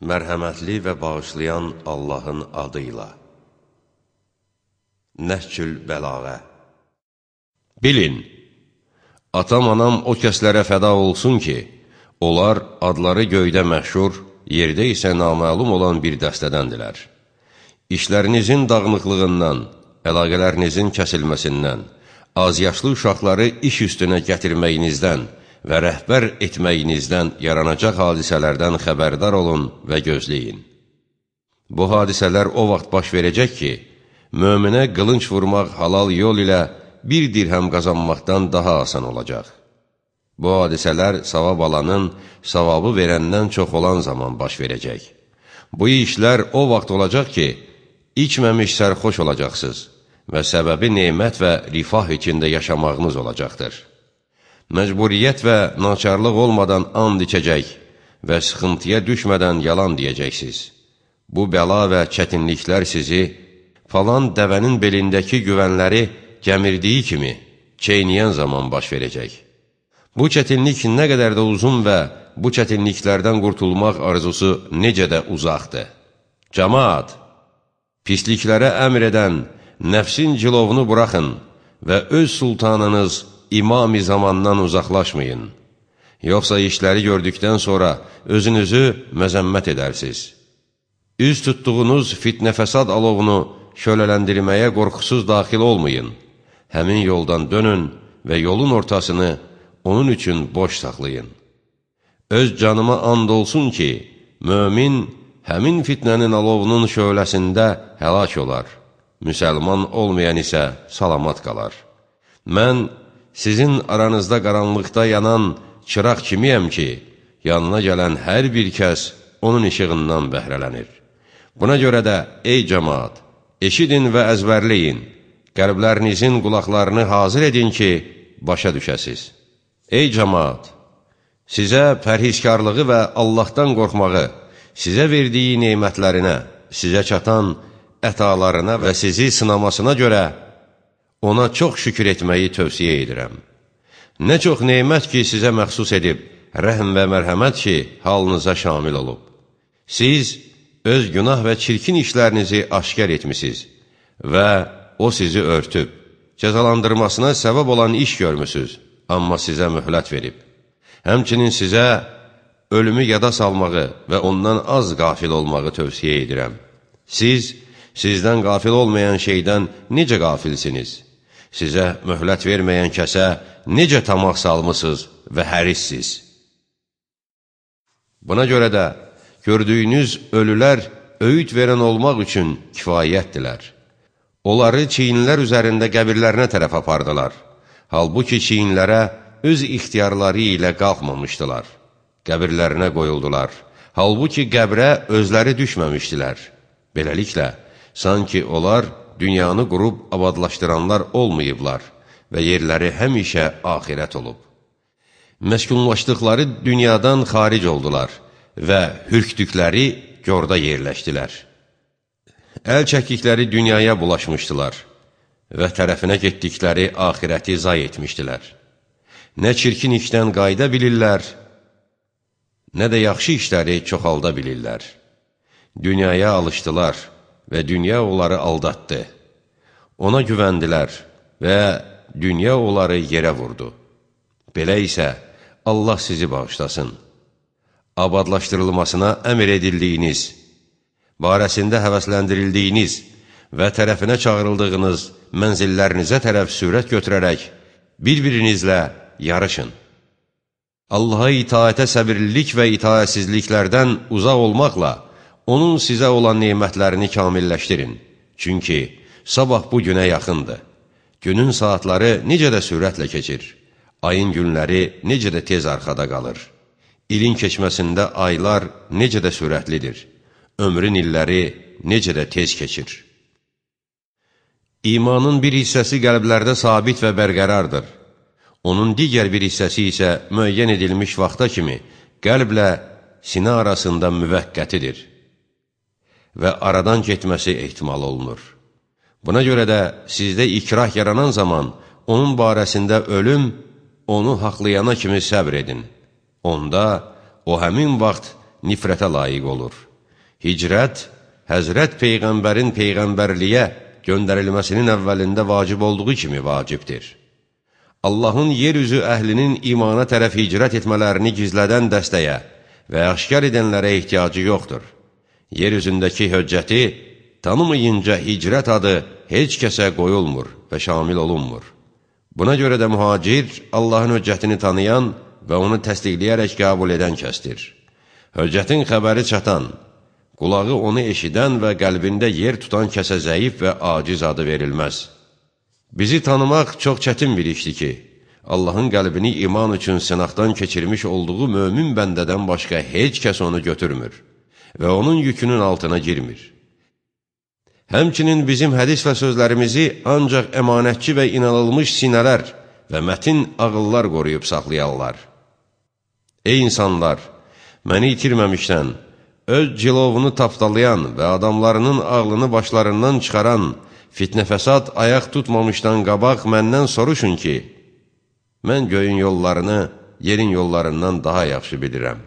Mərhəmətli və bağışlayan Allahın adıyla. Nəhcül Bəlağə. Bilin, atam-anam o kəslərə fəda olsun ki, onlar adları göydə məşhur, yerdə isə naməlum olan bir dəstədəndirlər. İşlərinizin dağınıqlığından, əlaqələrinizin kəsilməsindən, azyaşlı uşaqları iş üstünə gətirməyinizdən və rəhbər etməyinizdən yaranacaq hadisələrdən xəbərdar olun və gözləyin. Bu hadisələr o vaxt baş verəcək ki, möminə qılınc vurmaq halal yol ilə bir dirhəm qazanmaqdan daha asan olacaq. Bu hadisələr savab alanın savabı verəndən çox olan zaman baş verəcək. Bu işlər o vaxt olacaq ki, içməmiş sərxoş olacaqsınız və səbəbi nemət və rifah içində yaşamağınız olacaqdır. Məcburiyyət və naçarlıq olmadan and içəcək və sıxıntıya düşmədən yalan deyəcəksiniz. Bu bəla və çətinliklər sizi falan dəvənin belindəki güvənləri gəmirdiyi kimi çeynəyən zaman baş verəcək. Bu çətinlik nə qədər də uzun və bu çətinliklərdən qurtulmaq arzusu necə də uzaqdır. Cəmaat, pisliklərə əmr edən nəfsin cilovunu buraxın və öz sultanınız İmam-ı zamandan uzaqlaşmayın. Yoxsa işləri gördükdən sonra özünüzü məzəmmət edərsiniz. Üz tutduğunuz fitnə-fəsad alovunu şölələndirməyə qorxusuz daxil olmayın. Həmin yoldan dönün və yolun ortasını onun üçün boş saxlayın. Öz canıma and olsun ki, mömin həmin fitnənin alovunun şöləsində həlak olar. Müsəlman olmayan isə salamat qalar. Mən sizin aranızda qaranlıqda yanan çıraq kimiyəm ki, yanına gələn hər bir kəs onun işığından bəhrələnir. Buna görə də, ey cəmaat, eşidin və əzbərləyin, qəlblərinizin qulaqlarını hazır edin ki, başa düşəsiz. Ey cəmaat, sizə pərhizkarlığı və Allahdan qorxmağı, sizə verdiyi neymətlərinə, sizə çatan ətalarına və sizi sınamasına görə ona çox şükür etməyi tövsiyə edirəm. Nə çox neymət ki, sizə məxsus edib, rəhm və mərhəmət ki, halınıza şamil olub. Siz öz günah və çirkin işlərinizi aşkar etmişsiniz və o sizi örtüb, cəzalandırmasına səbəb olan iş görmüsünüz, amma sizə möhlət verib. Həmçinin sizə ölümü yada salmağı və ondan az qafil olmağı tövsiyə edirəm. Sizdən qafil olmayan şeydən necə qafilsiniz? Sizə möhlət verməyən kəsə necə tamaq salmısınız və hərissiniz? Buna görə də gördüyünüz ölülər öyüd verən olmaq üçün kifayətdilər. Onları çiyinlər üzərində qəbirlərinə tərəf apardılar. Halbuki çiyinlərə öz ixtiyarları ilə qalxmamışdılar. Qəbirlərinə qoyuldular. Halbuki qəbrə özləri düşməmişdilər. Beləliklə, sanki onlar dünyanı qurub abadlaşdıranlar olmayıblar və yerləri həmişə axirət olub. Məskunlaşdıqları dünyadan xaric oldular və hürkdükləri gorda yerləşdilər. Əl çəkdikləri dünyaya bulaşmışdılar və tərəfinə getdikləri axirəti zay etmişdilər. Nə çirkin işdən qayda bilirlər, nə də yaxşı işləri çoxalda bilirlər. Dünyaya alışdılar və dünya onları aldatdı. Ona güvəndilər və dünya onları yerə vurdu. Belə isə Allah sizi bağışlasın. Abadlaşdırılmasına əmr edildiyiniz, barəsində həvəsləndirildiyiniz və tərəfinə çağırıldığınız mənzillərinizə tərəf sürət götürərək bir-birinizlə yarışın. Allaha itaətə səbirlilik və itaətsizliklərdən uzaq olmaqla onun sizə olan neymətlərini kamilləşdirin. Çünki sabah bu günə yaxındır. Günün saatları necə də sürətlə keçir. Ayın günləri necə də tez arxada qalır. İlin keçməsində aylar necə də sürətlidir. Ömrün illəri necə də tez keçir. İmanın bir hissəsi qəlblərdə sabit və bərqərardır. Onun digər bir hissəsi isə müəyyən edilmiş vaxta kimi qəlblə sinə arasında müvəqqətidir və aradan getməsi ehtimal olunur. Buna görə də sizdə ikrah yaranan zaman onun barəsində ölüm onu haqlayana kimi səbr edin. Onda o həmin vaxt nifrətə layiq olur. Hicrət, Həzrət Peyğəmbərin Peyğəmbərliyə göndərilməsinin əvvəlində vacib olduğu kimi vacibdir. Allahın yeryüzü əhlinin imana tərəf hicrət etmələrini gizlədən dəstəyə və aşkar edənlərə ehtiyacı yoxdur. Yeryüzündəki höccəti tanımayınca hicrət adı heç kəsə qoyulmur və şamil olunmur. Buna görə də mühacir Allahın höccətini tanıyan və onu təsdiqləyərək qəbul edən kəsdir. Höccətin xəbəri çatan, qulağı onu eşidən və qəlbində yer tutan kəsə zəif və aciz adı verilməz. Bizi tanımaq çox çətin bir işdir ki, Allahın qəlbini iman üçün sınaqdan keçirmiş olduğu mömin bəndədən başqa heç kəs onu götürmür və onun yükünün altına girmir. Həmçinin bizim hədis və sözlərimizi ancaq əmanətçi və inanılmış sinələr və mətin ağıllar qoruyub saxlayarlar. Ey insanlar! Məni itirməmişdən, öz cilovunu tapdalayan və adamlarının ağlını başlarından çıxaran, fitnə-fəsad ayaq tutmamışdan qabaq məndən soruşun ki, mən göyün yollarını yerin yollarından daha yaxşı bilirəm.